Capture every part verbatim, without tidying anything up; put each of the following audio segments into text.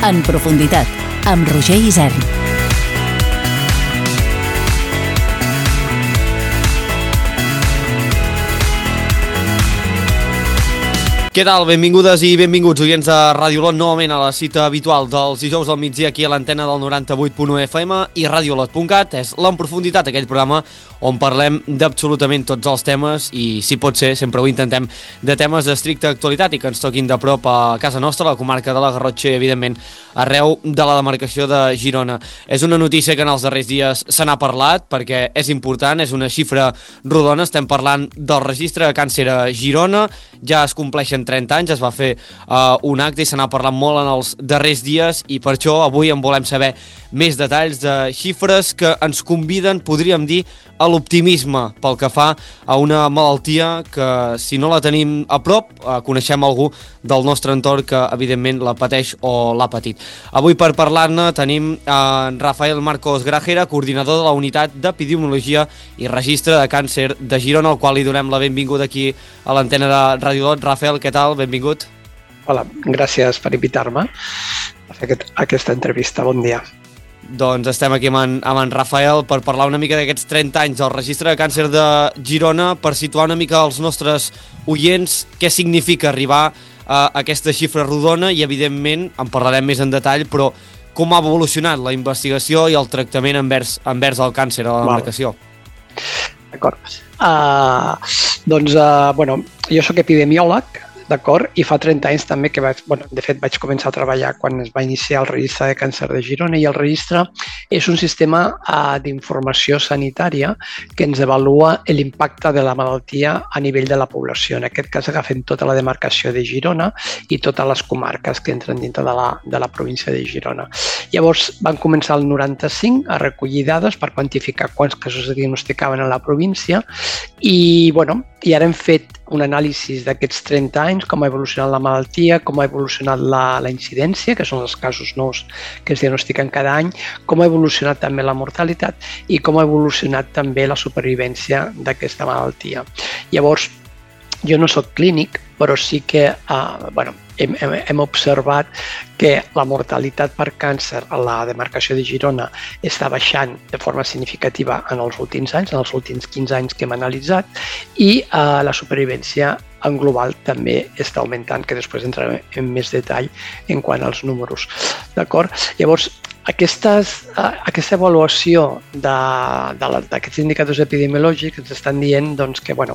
En profunditat, amb Roger Isern. Què tal? Benvingudes i benvinguts, oients de Ràdio Olot, novament a la cita habitual dels dijous al migdia aquí a l'antena del noranta-vuit punt u F M i radiolot punt cat. És l'En Profunditat, aquell programa on parlem d'absolutament tots els temes i, si pot ser, sempre ho intentem, de temes d'estricta actualitat i que ens toquin de prop a casa nostra, a la comarca de la Garrotxa i, evidentment, arreu de la demarcació de Girona. És una notícia que en els darrers dies se n'ha parlat perquè és important, és una xifra rodona. Estem parlant del registre de càncer a Girona, ja es compleixen trenta anys, es va fer uh, un acte i se n'ha parlat molt en els darrers dies i per això avui en volem saber més detalls de xifres que ens conviden, podríem dir, a l'optimisme pel que fa a una malaltia que, si no la tenim a prop, uh, coneixem algú del nostre entorn que, evidentment, la pateix o l'ha patit. Avui, per parlar-ne, tenim uh, Rafael Marcos Grajera, coordinador de la Unitat d'Epidemiologia i Registre de Càncer de Girona, al qual li donem la benvinguda aquí a l'antena de Ràdio Olot. Rafael, què tal? Benvingut. Hola, gràcies per invitar-me a fer aquest, aquesta entrevista. Bon dia. Doncs estem aquí amb en, amb en Rafael per parlar una mica d'aquests trenta anys del Registre de Càncer de Girona, per situar una mica als nostres oients què significa arribar a aquesta xifra rodona i, evidentment, en parlarem més en detall, però com ha evolucionat la investigació i el tractament envers, envers el càncer a la demarcació. D'acord. Uh, doncs, uh, bueno, jo sóc epidemiòleg, d'acord? I fa trenta anys també que vaig, bueno, de fet vaig començar a treballar quan es va iniciar el Registre de Càncer de Girona i el registre és un sistema uh, d'informació sanitària que ens avalua l'impacte de la malaltia a nivell de la població. En aquest cas agafem tota la demarcació de Girona i totes les comarques que entren dintre de la, de la província de Girona. Llavors van començar el noranta-cinc a recollir dades per quantificar quants casos es diagnosticaven a la província i, bueno, i ara hem fet un anàlisi d'aquests trenta anys, com ha evolucionat la malaltia, com ha evolucionat la, la incidència, que són els casos nous que es diagnostiquen cada any, com ha evolucionat també la mortalitat i com ha evolucionat també la supervivència d'aquesta malaltia. Llavors, jo no soc clínic, però sí que uh, bueno, hem, hem, hem observat que la mortalitat per càncer a la demarcació de Girona està baixant de forma significativa en els últims anys, en els últims quinze anys que hem analitzat, i uh, la supervivència en global també està augmentant, que després entrarem en més detall en quant als números. D'acord? Llavors, Aquestes, aquesta avaluació d'aquests indicadors epidemiològics ens estan dient doncs, que, bueno,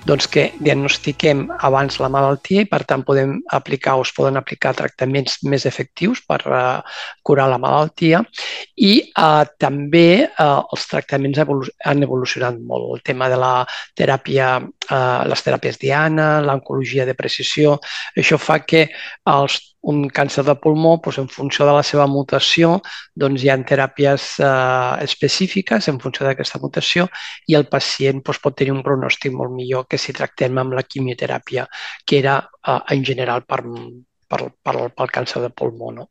doncs que diagnostiquem abans la malaltia i, per tant, podem aplicar o es poden aplicar tractaments més efectius per uh, curar la malaltia i uh, també uh, els tractaments evolu han evolucionat molt. El tema de la teràpia, uh, les teràpies diana, l'oncologia de precisió, això fa que els un càncer de pulmó, doncs, en funció de la seva mutació, doncs, hi ha teràpies eh, específiques en funció d'aquesta mutació i el pacient doncs, pot tenir un pronòstic molt millor que si tractem amb la quimioteràpia, que era eh, en general per, per, per, pel càncer de pulmó. No?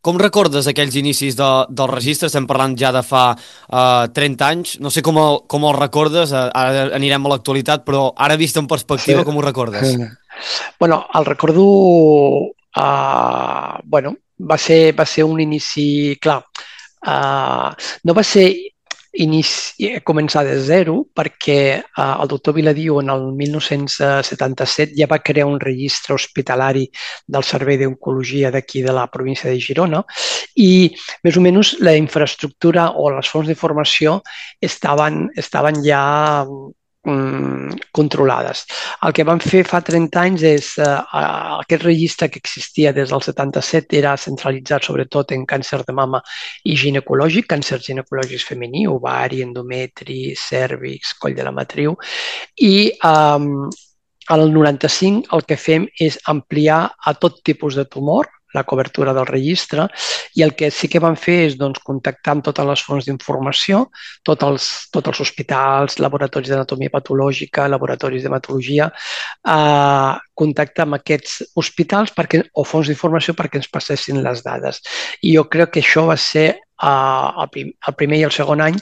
Com recordes aquells inicis de, del registre? Estem parlant ja de fa uh, trenta anys. No sé com el, com el recordes, ara anirem a l'actualitat, però ara vist en perspectiva, sí. Com ho recordes? Bueno, el recordo... Uh, bueno, va ser, va ser un inici, clar, uh, no va ser inici, començar de zero perquè uh, el doctor Viladiu en el mil nou-cents setanta-set ja va crear un registre hospitalari del Servei d'Oncologia d'aquí de la província de Girona i més o menys la infraestructura o les fonts d'informació estaven, estaven ja controlades. El que vam fer fa trenta anys és eh, aquest registre que existia des del setanta-set era centralitzat sobretot en càncer de mama i ginecològic, càncer ginecològic femení, ovari, endometri, cèrvix, coll de la matriu i eh, al noranta-cinc el que fem és ampliar a tot tipus de tumor la cobertura del registre i el que sí que vam fer és doncs, contactar amb totes les fonts d'informació, tots els, tots els hospitals, laboratoris d'anatomia patològica, laboratoris d'hematologia, eh, contactar amb aquests hospitals perquè, o fonts d'informació perquè ens passessin les dades. I jo crec que això va ser el, prim, el primer i el segon any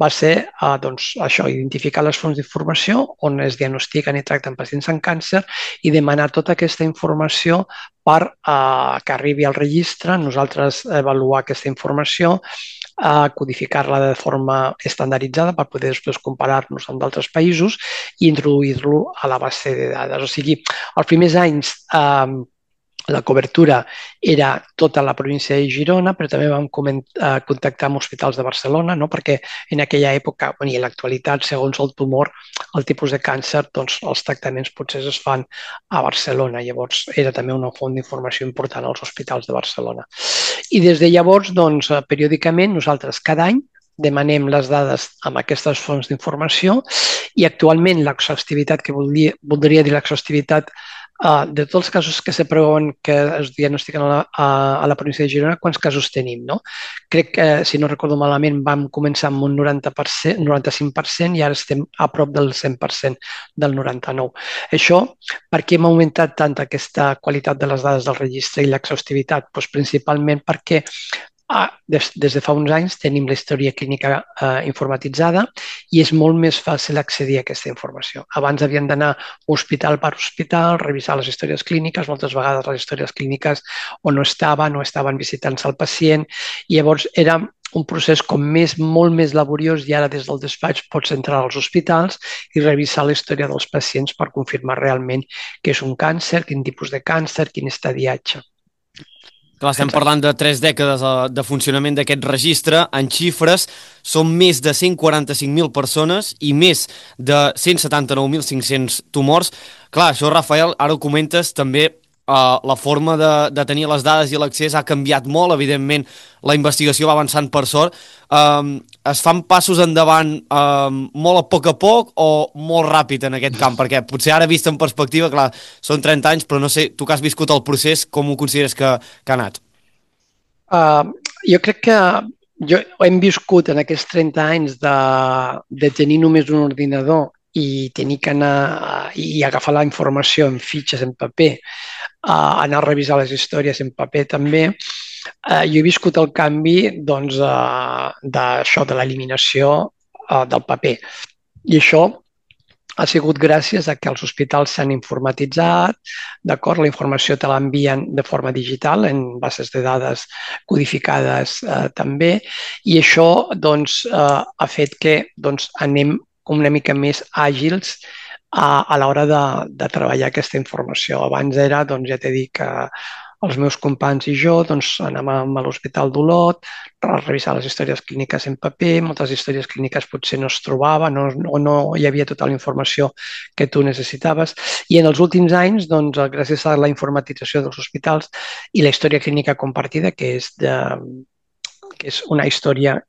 va ser uh, doncs, això, identificar les fonts d'informació on es diagnostiquen i tracten pacients amb càncer i demanar tota aquesta informació per uh, que arribi al registre, nosaltres avaluar aquesta informació, uh, codificar-la de forma estandarditzada per poder després comparar-nos amb d'altres països i introduir-lo a la base de dades. O sigui, els primers anys uh, la cobertura era tota la província de Girona, però també vam contactar amb hospitals de Barcelona, no? Perquè en aquella època, i en l'actualitat, segons el tumor, el tipus de càncer, doncs els tractaments potser es fan a Barcelona. Llavors era també una font d'informació important als hospitals de Barcelona. I des de llavors, doncs, periòdicament, nosaltres cada any demanem les dades amb aquestes fonts d'informació i actualment l'exhaustivitat, que voldria, voldria dir l'exhaustivitat Uh, de tots els casos que se preveuen que es diagnostiquen a la, a, a la província de Girona, quants casos tenim, no? Crec que, si no recordo malament, vam començar amb un noranta per cent, noranta-cinc per cent i ara estem a prop del cent per cent del noranta-nou per cent. Això, per què hem augmentat tant aquesta qualitat de les dades del registre i l'exhaustivitat? Pues principalment perquè Ah, des, des de fa uns anys tenim la història clínica eh, informatitzada i és molt més fàcil accedir a aquesta informació. Abans havien d'anar hospital per hospital, revisar les històries clíniques, moltes vegades les històries clíniques o no estaven o estaven visitant-se el pacient i llavors era un procés com més, molt més laboriós i ara des del despatx pots entrar als hospitals i revisar la història dels pacients per confirmar realment que és un càncer, quin tipus de càncer, quin estadiatge. Clar, estem parlant de tres dècades de funcionament d'aquest registre. En xifres, són més de cent quaranta-cinc mil persones i més de cent setanta-nou mil cinc-cents tumors. Clar, això, Rafael, ara ho comentes, també Uh, la forma de, de tenir les dades i l'accés ha canviat molt, evidentment la investigació va avançant per sort. Um, es fan passos endavant um, molt a poc a poc o molt ràpid en aquest camp? Perquè potser ara vist en perspectiva, clar, són trenta anys, però no sé, tu que has viscut el procés, com ho consideres que, que ha anat? Uh, jo crec que jo hem viscut en aquests trenta anys de, de tenir només un ordinador i tenir que anar i agafar la informació en fitxes, en paper, uh, anar a revisar les històries en paper també. Uh, jo he viscut el canvi doncs, uh, d'això, de l'eliminació uh, del paper. I això ha sigut gràcies a que els hospitals s'han informatitzat, d'acord? La informació te l'envien de forma digital, en bases de dades codificades uh, també, i això doncs, uh, ha fet que doncs, anem una mica més àgils a, a l'hora de, de treballar aquesta informació. Abans era, doncs ja t'he dit que els meus companys i jo doncs, anàvem a l'Hospital d'Olot a revisar les històries clíniques en paper, moltes històries clíniques potser no es trobaven o no, no hi havia tota la informació que tu necessitaves. I en els últims anys, doncs, gràcies a la informatització dels hospitals i la història clínica compartida, que és, de, que és una història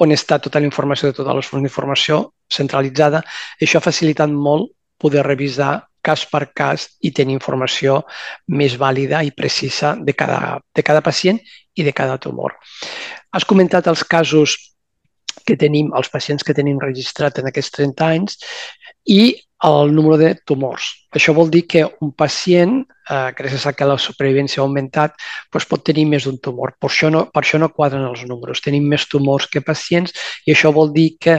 on està tota la informació de totes les fonts d'informació centralitzada, això ha facilitat molt poder revisar cas per cas i tenir informació més vàlida i precisa de cada, de cada pacient i de cada tumor. Has comentat els casos que tenim, els pacients que tenim registrat en aquests trenta anys i el número de tumors. Això vol dir que un pacient, eh, gràcies a que la supervivència ha augmentat, doncs pot tenir més d'un tumor. Per això, no, per això no quadren els números. Tenim més tumors que pacients i això vol dir que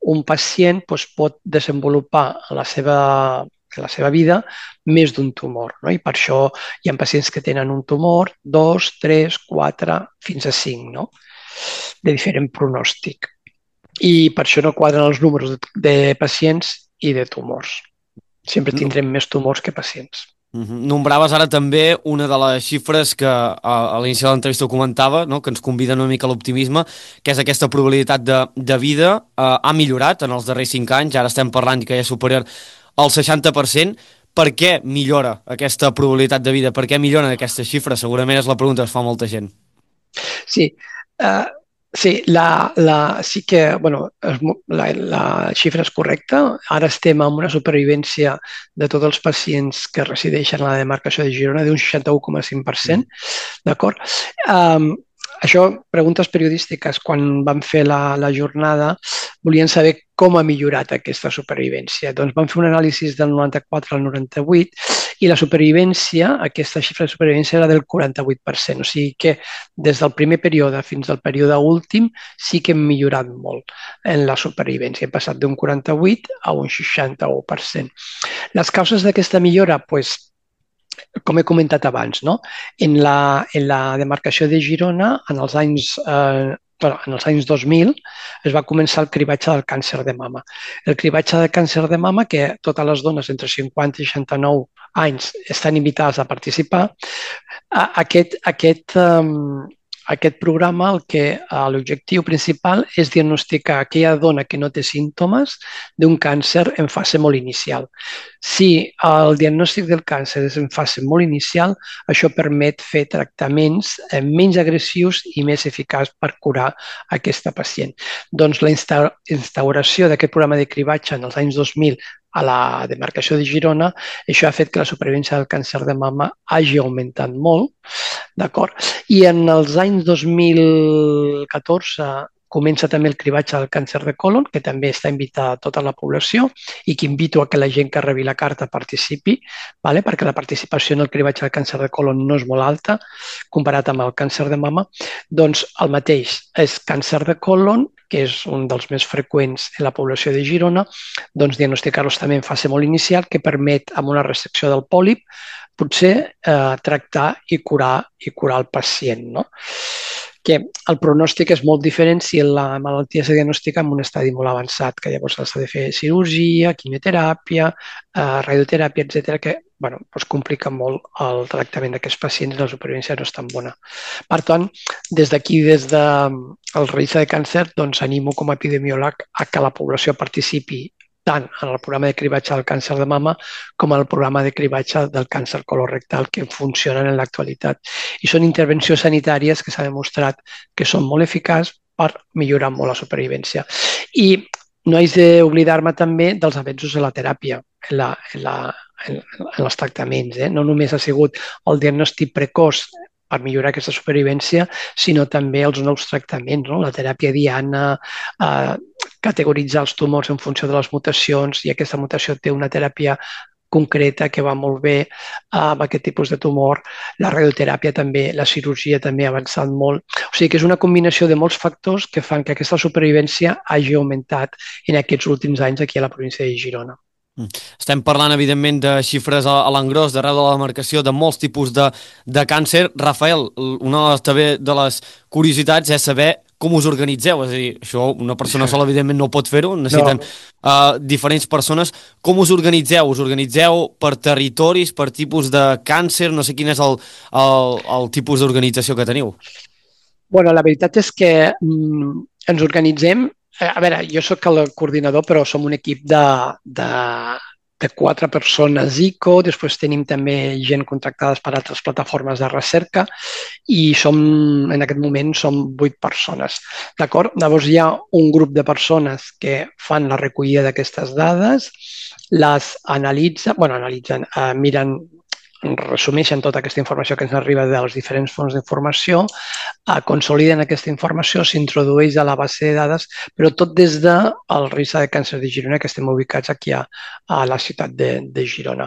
un pacient doncs, pot desenvolupar la seva, la seva vida més d'un tumor. No? I per això hi ha pacients que tenen un tumor, dos, tres, quatre, fins a cinc, no? De diferent pronòstic. I per això no quadren els números de, de pacients i de tumors. Sempre tindrem no. més tumors que pacients. Uh-huh. Nombraves ara també una de les xifres que a, a l'inici de l'entrevista ho comentava, no? Que ens convida una mica a l'optimisme, que és aquesta probabilitat de, de vida. Uh, ha millorat en els darrers cinc anys, ara estem parlant que ja és superior al seixanta per cent. Per què millora aquesta probabilitat de vida? Per què milloren aquestes xifres? Segurament és la pregunta que es fa molta gent. Sí, uh... Sí, la, la, sí que bueno, la, la xifra és correcta. Ara estem amb una supervivència de tots els pacients que resideixen a la demarcació de Girona d'un seixanta-u coma cinc per cent, d'acord? Um, això, preguntes periodístiques, quan vam fer la, la jornada, volien saber com ha millorat aquesta supervivència. Doncs vam fer un anàlisi del noranta-quatre al noranta-vuit I la supervivència, aquesta xifra de supervivència era del quaranta-vuit per cent, o sigui que des del primer període fins al període últim sí que hem millorat molt en la supervivència. Hem passat d'un quaranta-vuit a un seixanta-u per cent. Les causes d'aquesta millora, doncs, com he comentat abans, no? En la, en la demarcació de Girona, en els anys, eh, bueno, en els anys dos mil, es va començar el cribatge del càncer de mama. El cribatge del càncer de mama, que totes les dones entre cinquanta i seixanta-nou anys estan invitades a participar, aquest, aquest, um, aquest programa, el que l'objectiu principal és diagnosticar aquella dona que no té símptomes d'un càncer en fase molt inicial. Si el diagnòstic del càncer és en fase molt inicial, això permet fer tractaments menys agressius i més eficaços per curar aquesta pacient. Doncs la instauració d'aquest programa de cribatge en els anys dos mil a la demarcació de Girona, això ha fet que la supervivència del càncer de mama hagi augmentat molt, d'acord? I en els anys dos mil catorze comença també el cribatge del càncer de colon, que també està invitada a tota la població i que invito a que la gent que rebi la carta participi, vale? Perquè la participació en el cribatge del càncer de colon no és molt alta comparat amb el càncer de mama. Doncs el mateix, és càncer de colon, que és un dels més freqüents en la població de Girona, doncs diagnosticar-los també en fase molt inicial, que permet, amb una resecció del pòlip, potser eh, tractar i curar, i curar el pacient, no? Que el pronòstic és molt diferent si la malaltia es diagnostica en un estadi molt avançat, que llavors s'ha de fer cirurgia, quimioteràpia, eh, radioteràpia, etcètera, que bueno, doncs complica molt el tractament d'aquests pacients i la supervivència no és tan bona. Per tant, des d'aquí, des del registre de càncer, doncs animo com a epidemiòleg a que la població participi tant en el programa de cribatge del càncer de mama com en el programa de cribatge del càncer colorectal que funcionen en l'actualitat. I són intervencions sanitàries que s'ha demostrat que són molt eficaços per millorar molt la supervivència. I no haig d'oblidar-me també dels avenços de la teràpia, en, la, en, la, en, en els tractaments. Eh? No només ha sigut el diagnòstic precoç per millorar aquesta supervivència, sinó també els nous tractaments, no? La teràpia diana, eh, categoritzar els tumors en funció de les mutacions, i aquesta mutació té una teràpia concreta que va molt bé amb aquest tipus de tumor. La radioteràpia també, la cirurgia també ha avançat molt. O sigui que és una combinació de molts factors que fan que aquesta supervivència hagi augmentat en aquests últims anys aquí a la província de Girona. Estem parlant, evidentment, de xifres a l'engròs d'arreu de la demarcació, de molts tipus de, de càncer. Rafael, una també de les curiositats és saber com us organitzeu. És a dir, això una persona sola, evidentment, no pot fer-ho, necessiten no. uh, diferents persones. Com us organitzeu? Us organitzeu per territoris, per tipus de càncer? No sé quin és el, el, el tipus d'organització que teniu. Bueno, la veritat és que mm, ens organitzem. A veure, jo sóc el coordinador, però som un equip de, de, de quatre persones I C O, després tenim també gent contractada per altres plataformes de recerca i som, en aquest moment som vuit persones. D'acord? Llavors hi ha un grup de persones que fan la recollida d'aquestes dades, les analitzen, bueno, analitzen, eh, miren, resumeixen tota aquesta informació que ens arriba dels diferents fons d'informació, eh, consoliden aquesta informació, s'introdueix a la base de dades, però tot des del registre de càncer de Girona, que estem ubicats aquí a, a la ciutat de, de Girona.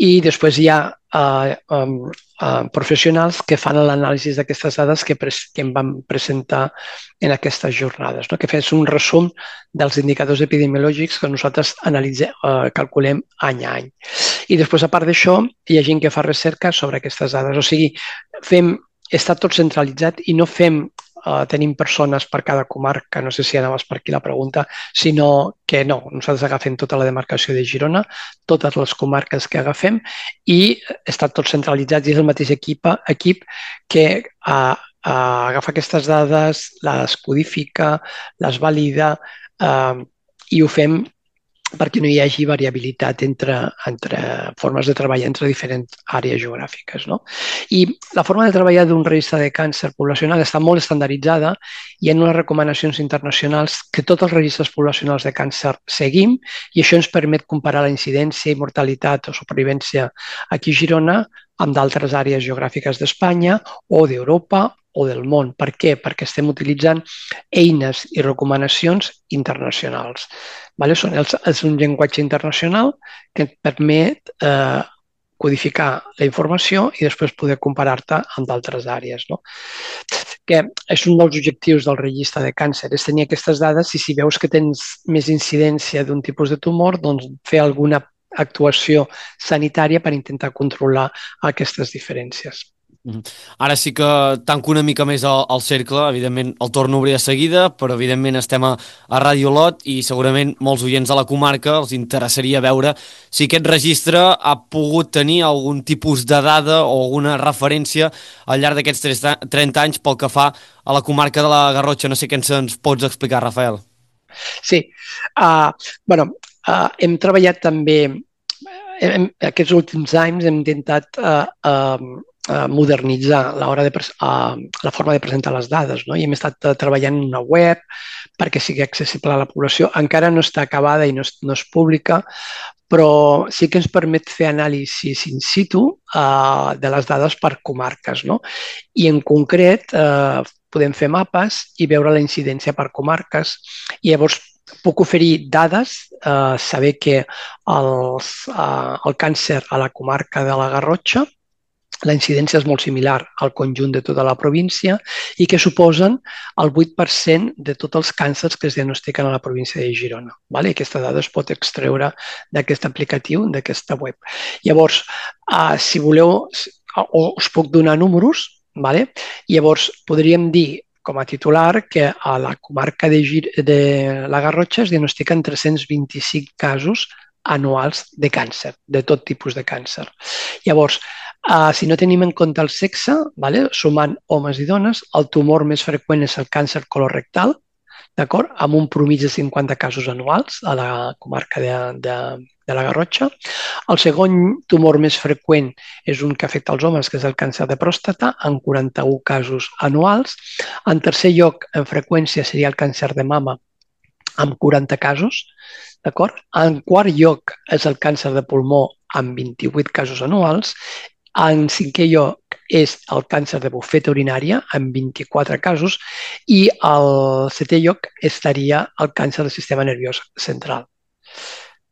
I després hi ha eh, um, uh, professionals que fan l'anàlisi d'aquestes dades que, pres que em van presentar en aquestes jornades, no? Que fes un resum dels indicadors epidemiològics que nosaltres analitzem, eh, calculem any a any. I després, a part d'això, hi ha gent que fa recerca sobre aquestes dades. O sigui, fem, està tot centralitzat i no fem, eh, tenim persones per cada comarca, no sé si anaves per aquí la pregunta, sinó que no, nosaltres agafem tota la demarcació de Girona, totes les comarques que agafem i està tot centralitzat i és el mateix equip, equip que eh, Uh, agafa aquestes dades, les codifica, les valida uh, i ho fem perquè no hi hagi variabilitat entre, entre formes de treballar entre diferents àrees geogràfiques, no? I la forma de treballar d'un registre de càncer poblacional està molt estandarditzada i hi ha unes recomanacions internacionals que tots els registres poblacionals de càncer seguim i això ens permet comparar la incidència i mortalitat o supervivència aquí a Girona amb d'altres àrees geogràfiques d'Espanya o d'Europa o del món. Per què? Perquè estem utilitzant eines i recomanacions internacionals. Vale? És un llenguatge internacional que et permet eh, codificar la informació i després poder comparar-te amb d'altres àrees, no? Que és un dels objectius del registre de càncer, és tenir aquestes dades i si veus que tens més incidència d'un tipus de tumor, doncs fer alguna actuació sanitària per intentar controlar aquestes diferències. Ara sí que tanco una mica més el, el cercle, evidentment el torno a obrir de seguida, però evidentment estem a, a Radio Lot i segurament molts oients de la comarca els interessaria veure si aquest registre ha pogut tenir algun tipus de dada o alguna referència al llarg d'aquests trenta anys pel que fa a la comarca de la Garrotxa. No sé què ens pots explicar, Rafael. Sí, uh, bueno, uh, hem treballat també, hem, aquests últims anys hem intentat uh, uh, modernitzar l'hora de uh, la forma de presentar les dades, no? I hem estat uh, treballant en una web perquè sigui accessible a la població. Encara no està acabada i no és, no és pública, però sí que ens permet fer anàlisis in situ uh, de les dades per comarques, no? I en concret uh, podem fer mapes i veure la incidència per comarques i llavors puc oferir dades, eh, saber que els, eh, el càncer a la comarca de la Garrotxa, la incidència és molt similar al conjunt de tota la província i que suposen el vuit per cent de tots els càncers que es diagnostiquen a la província de Girona. Vale? Aquesta dada es pot extreure d'aquest aplicatiu, d'aquesta web. Llavors, eh, si voleu, us puc donar números. Vale? Llavors, podríem dir com a titular que a la comarca de, Gir de la Garrotxa es diagnostiquen tres-cents vint-i-cinc casos anuals de càncer, de tot tipus de càncer. Llavors, eh, si no tenim en compte el sexe, vale? Sumant homes i dones, el tumor més freqüent és el càncer colorectal, d'acord? Amb un promís de cinquanta casos anuals a la comarca de, de, de la Garrotxa. El segon tumor més freqüent és un que afecta els homes, que és el càncer de pròstata, amb quaranta-un casos anuals. En tercer lloc, en freqüència, seria el càncer de mama, amb quaranta casos. D'acord? En quart lloc és el càncer de pulmó, amb vint-i-vuit casos anuals. En cinquè lloc és el càncer de bufeta urinària, amb vint-i-quatre casos, i al setè lloc estaria el càncer del sistema nerviós central.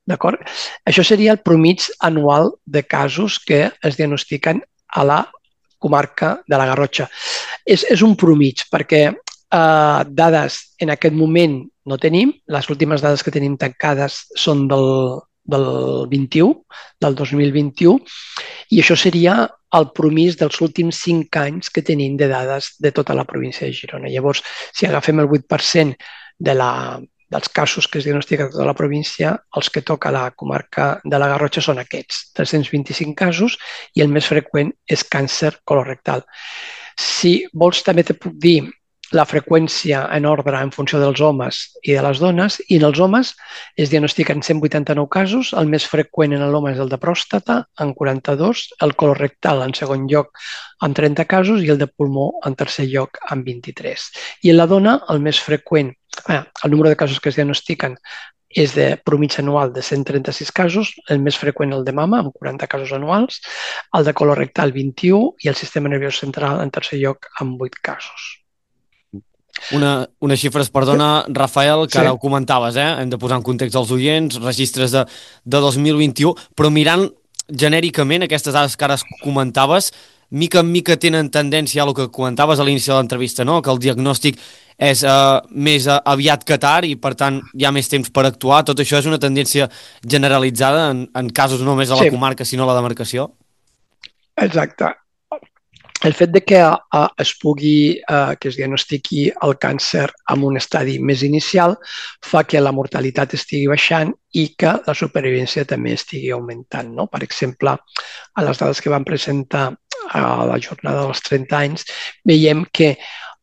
D'acord? Això seria el promig anual de casos que es diagnostiquen a la comarca de la Garrotxa. És, és un promig perquè eh, dades en aquest moment no tenim. Les últimes dades que tenim tancades són del, del vint-i-u, del dos mil vint-i-u, i això seria el promís dels últims cinc anys que tenim de dades de tota la província de Girona. Llavors, si agafem el vuit per cent de la, dels casos que es diagnostiquen a tota la província, els que toca la comarca de la Garrotxa són aquests, tres-cents vint-i-cinc casos, i el més freqüent és càncer colorectal. Si vols, també te puc dir la freqüència en ordre en funció dels homes i de les dones, i en els homes es diagnostiquen cent vuitanta-nou casos, el més freqüent en l'home és el de pròstata, en quaranta-dos, el colorectal en segon lloc amb trenta casos i el de pulmó en tercer lloc amb vint-i-tres. I en la dona el més freqüent, eh, el número de casos que es diagnostiquen és de promig anual de cent trenta-sis casos, el més freqüent el de mama, amb quaranta casos anuals, el de colorectal vint-i-u i el sistema nerviós central en tercer lloc amb vuit casos. Una, unes xifres, perdona, Rafael, que sí. Ara ho comentaves, eh? Hem de posar en context als oients, registres de, de dos mil vint-i-u, però mirant genèricament aquestes dades que ara comentaves, mica en mica tenen tendència a el que comentaves a l'inici de l'entrevista, no? Que el diagnòstic és eh, més aviat que tard i, per tant, hi ha més temps per actuar. Tot això és una tendència generalitzada en, en casos no només a la sí. comarca, sinó a la demarcació? Exacte. El fet de que uh, es pugui, uh, que es diagnostiqui el càncer en un estadi més inicial fa que la mortalitat estigui baixant i que la supervivència també estigui augmentant, no? Per exemple, a les dades que vam presentar a la jornada dels trenta anys, veiem que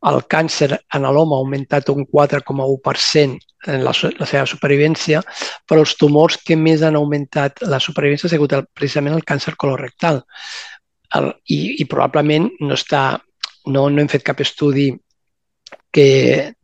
el càncer en l'home ha augmentat un quatre coma u per cent en la, la seva supervivència, però els tumors que més han augmentat la supervivència ha sigut el, precisament el càncer colorectal. El, i, i probablement no, està, no, no hem fet cap estudi que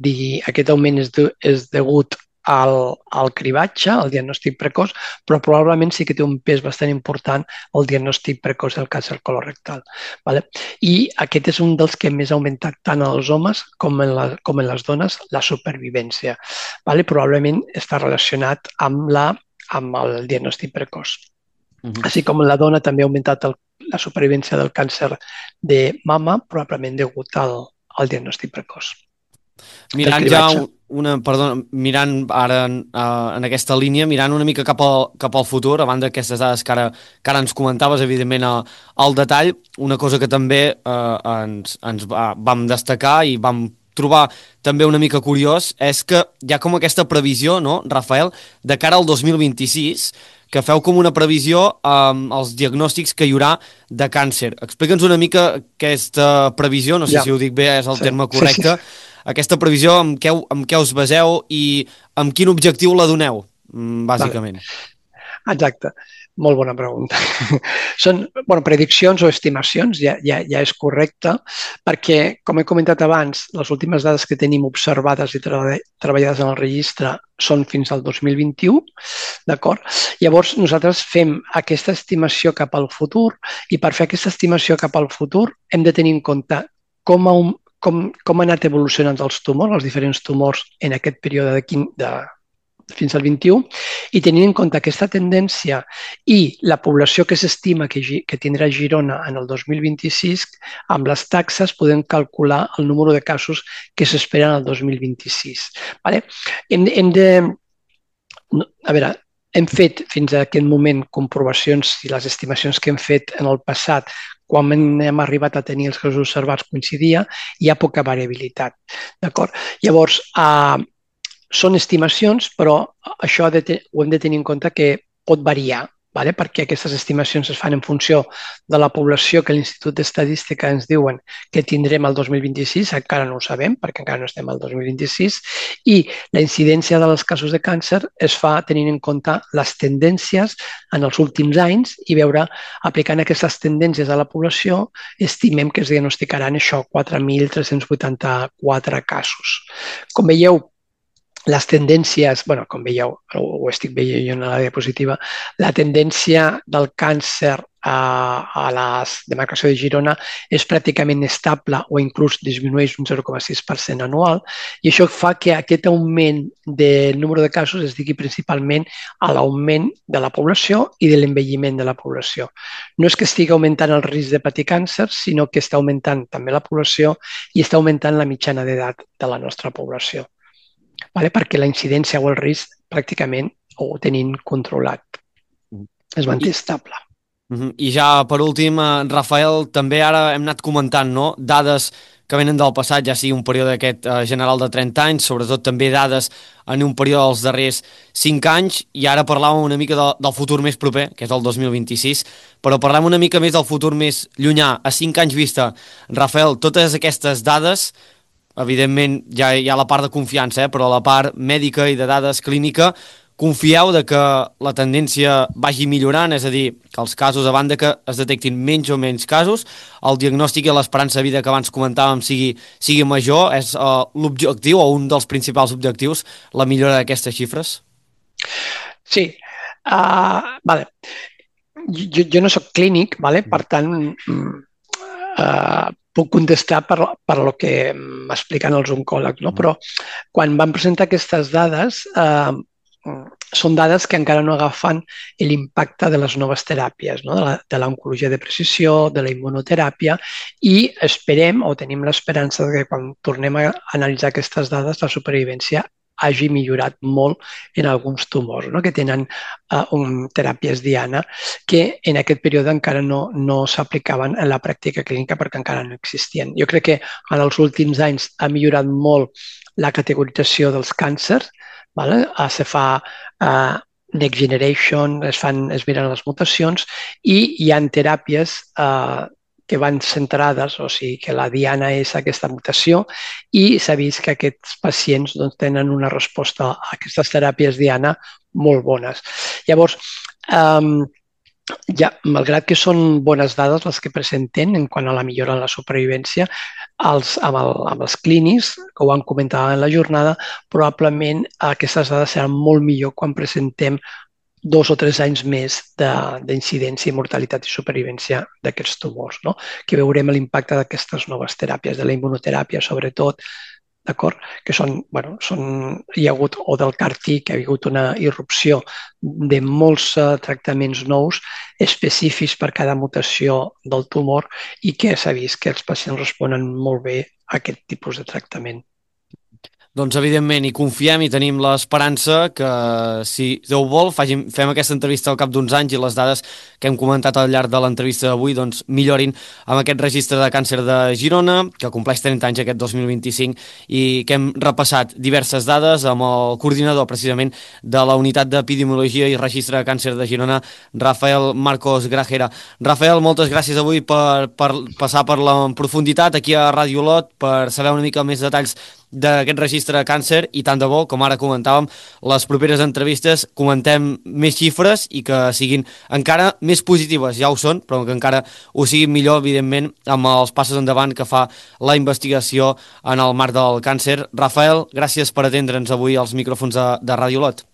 digui aquest augment és, de, és degut al, al cribatge, al diagnòstic precoç, però probablement sí que té un pes bastant important el diagnòstic precoç del càncer colorectal. Vale? I aquest és un dels que més ha augmentat tant en els homes com en, la, com en les dones la supervivència. Vale? Probablement està relacionat amb, la, amb el diagnòstic precoç. Uh-huh. Així com la dona també ha augmentat el, la supervivència del càncer de mama, probablement degut al, al diagnòstic precoç. Mirant ja una, perdona, mirant ara en, uh, en aquesta línia, mirant una mica cap al, cap al futur, a banda d'aquestes dades que ara, que ara ens comentaves, evidentment, a, al detall, una cosa que també uh, ens, ens va, vam destacar i vam trobar també una mica curiós és que hi ha com aquesta previsió, no, Rafael, de cara al dos mil vint-i-sis, que feu com una previsió amb um, els diagnòstics que hi haurà de càncer. Explica'ns una mica aquesta previsió, no sé ja. si ho dic bé, és el sí. terme correcte, sí, sí. Aquesta previsió, amb què, amb què us baseu i amb quin objectiu la doneu, bàsicament? Vale. Exacte. Molt bona pregunta. Són bueno, prediccions o estimacions, ja, ja, ja és correcte, perquè, com he comentat abans, les últimes dades que tenim observades i treba, treballades en el registre són fins al dos mil vint-i-u, d'acord? Llavors, nosaltres fem aquesta estimació cap al futur i per fer aquesta estimació cap al futur hem de tenir en compte com, a un, com, com han anat evolucionant els tumors, els diferents tumors en aquest període de, quin, de fins al vint-i-u, i tenint en compte aquesta tendència i la població que s'estima que, que tindrà Girona en el dos mil vint-i-sis, amb les taxes podem calcular el número de casos que s'esperen el dos mil vint-i-sis. Vale? Hem, hem de... A veure, hem fet fins a aquest moment comprovacions i les estimacions que hem fet en el passat quan hem arribat a tenir els casos observats coincidia, hi ha poca variabilitat. D'acord? Llavors, eh, són estimacions, però això de te, ho hem de tenir en compte que pot variar, vale? Perquè aquestes estimacions es fan en funció de la població que l'Institut d'Estadística ens diuen que tindrem el dos mil vint-i-sis, encara no ho sabem perquè encara no estem al dos mil vint-i-sis, i la incidència dels casos de càncer es fa tenint en compte les tendències en els últims anys i veure, aplicant aquestes tendències a la població, estimem que es diagnosticaran això, quatre mil tres-cents vuitanta-quatre casos. Com veieu, les tendències, bueno, com veieu, ho estic veient jo en la diapositiva, la tendència del càncer a, a la demarcació de Girona és pràcticament estable o inclús disminueix un zero coma sis per cent anual i això fa que aquest augment del número de casos es digui principalment a l'augment de la població i de l'envelliment de la població. No és que estigui augmentant el risc de patir càncer, sinó que està augmentant també la població i està augmentant la mitjana d'edat de la nostra població. Vale? Perquè la incidència o el risc pràcticament ho tenim controlat. Es manté estable. I ja per últim, Rafael, també ara hem anat comentant, no?, dades que venen del passat, ja sigui un període aquest eh, general de trenta anys, sobretot també dades en un període dels darrers cinc anys, i ara parlàvem una mica de, del futur més proper, que és el dos mil vint-i-sis, però parlem una mica més del futur més llunyà, a cinc anys vista. Rafael, totes aquestes dades, evidentment ja hi ha la part de confiança, eh, però la part mèdica i de dades clínica, confieu de que la tendència vagi millorant, és a dir, que els casos, a banda que es detectin menys o menys casos, el diagnòstic i l'esperança de vida que abans comentàvem sigui, sigui major, és uh, l'objectiu o un dels principals objectius, la millora d'aquestes xifres? Sí. Uh, vale. jo, jo no soc clínic, vale? Per tant, uh, puc contestar per, per lo que m'expliquen els oncòlegs, no? Però quan van presentar aquestes dades, uh, són dades que encara no agafen l'impacte de les noves teràpies, no? De l'oncologia de precisió, de la immunoteràpia, i esperem o tenim l'esperança que quan tornem a analitzar aquestes dades la supervivència hagi millorat molt en alguns tumors, no? Que tenen uh, un, teràpies diana que en aquest període encara no, no s'aplicaven en la pràctica clínica perquè encara no existien. Jo crec que en els últims anys ha millorat molt la categorització dels càncers, vale? Se fa uh, next generation, es, fan, es miren les mutacions i hi ha teràpies uh, que van centrades, o sigui que la diana és aquesta mutació i s'ha vist que aquests pacients doncs, tenen una resposta a aquestes teràpies diana molt bones. Llavors, um, ja, malgrat que són bones dades les que presenten en quant a la millora en la supervivència, els, amb, el, amb els clínics, que ho van comentar en la jornada, probablement aquestes dades seran molt millor quan presentem dos o tres anys més d'incidència, mortalitat i supervivència d'aquests tumors, no? Que veurem l'impacte d'aquestes noves teràpies, de la immunoteràpia sobretot, d'acord? Que són, bueno, són, hi ha hagut, o del CAR-T, que ha hagut una irrupció de molts uh, tractaments nous específics per cada mutació del tumor i que s'ha vist que els pacients responen molt bé a aquest tipus de tractament. Doncs evidentment hi confiem i tenim l'esperança que si Déu vol fagin, fem aquesta entrevista al cap d'uns anys i les dades que hem comentat al llarg de l'entrevista d'avui doncs, millorin amb aquest registre de càncer de Girona que compleix trenta anys aquest dos mil vint-i-cinc i que hem repassat diverses dades amb el coordinador precisament de la unitat d'epidemiologia i registre de càncer de Girona, Rafael Marcos Grajera. Rafael, moltes gràcies avui per, per passar per la profunditat aquí a Ràdio Olot per saber una mica més detalls d'aquest registre de càncer i tant de bo, com ara comentàvem, les properes entrevistes comentem més xifres i que siguin encara més positives, ja ho són, però que encara ho siguin millor, evidentment, amb els passos endavant que fa la investigació en el marc del càncer. Rafael, gràcies per atendre'ns avui als micròfons de, de Ràdio Olot.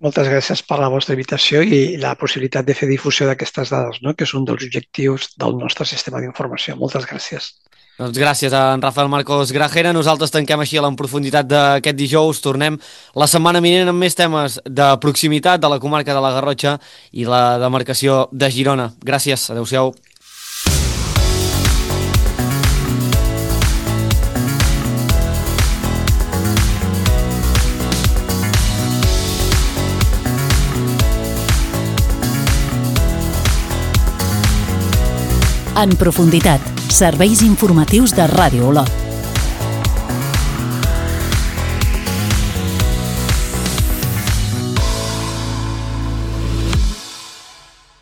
Moltes gràcies per la vostra invitació i la possibilitat de fer difusió d'aquestes dades, no? Que és un dels objectius del nostre sistema d'informació. Moltes gràcies. Doncs gràcies a en Rafael Marcos Grajera. Nosaltres tanquem així a la profunditat d'aquest dijous. Tornem la setmana vinent amb més temes de proximitat de la comarca de la Garrotxa i la demarcació de Girona. Gràcies. Adéu-siau. En profunditat, serveis informatius de Ràdio Olot.